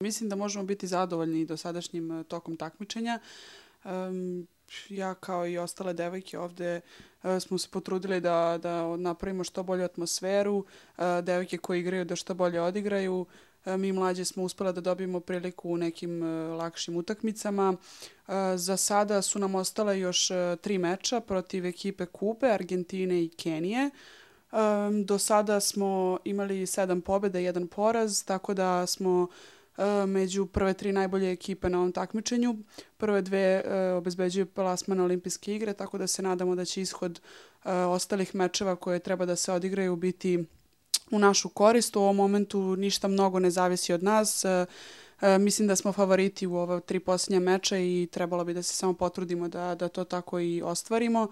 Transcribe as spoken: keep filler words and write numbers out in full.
Mislim da možemo biti zadovoljni dosadašnjim tokom takmičenja. Ja kao i ostale devojke ovde smo se potrudili da, da napravimo što bolju atmosferu, devojke koje igraju da što bolje odigraju. Mi mlađe smo uspela da dobijemo priliku u nekim lakšim utakmicama. Za sada su nam ostale još tri meča protiv ekipe Kube, Argentine i Kenije. Do sada smo imali sedam pobjeda i jedan poraz, tako da smo među prve tri najbolje ekipe na ovom takmičenju. Prve dve obezbeđuju plasman na olimpijske igre, tako da se nadamo da će ishod ostalih mečeva koje treba da se odigraju biti u našu korist. U ovom momentu ništa mnogo ne zavisi od nas. Mislim da smo favoriti u ova tri posljednja meča i trebalo bi da se samo potrudimo da, da to tako i ostvarimo.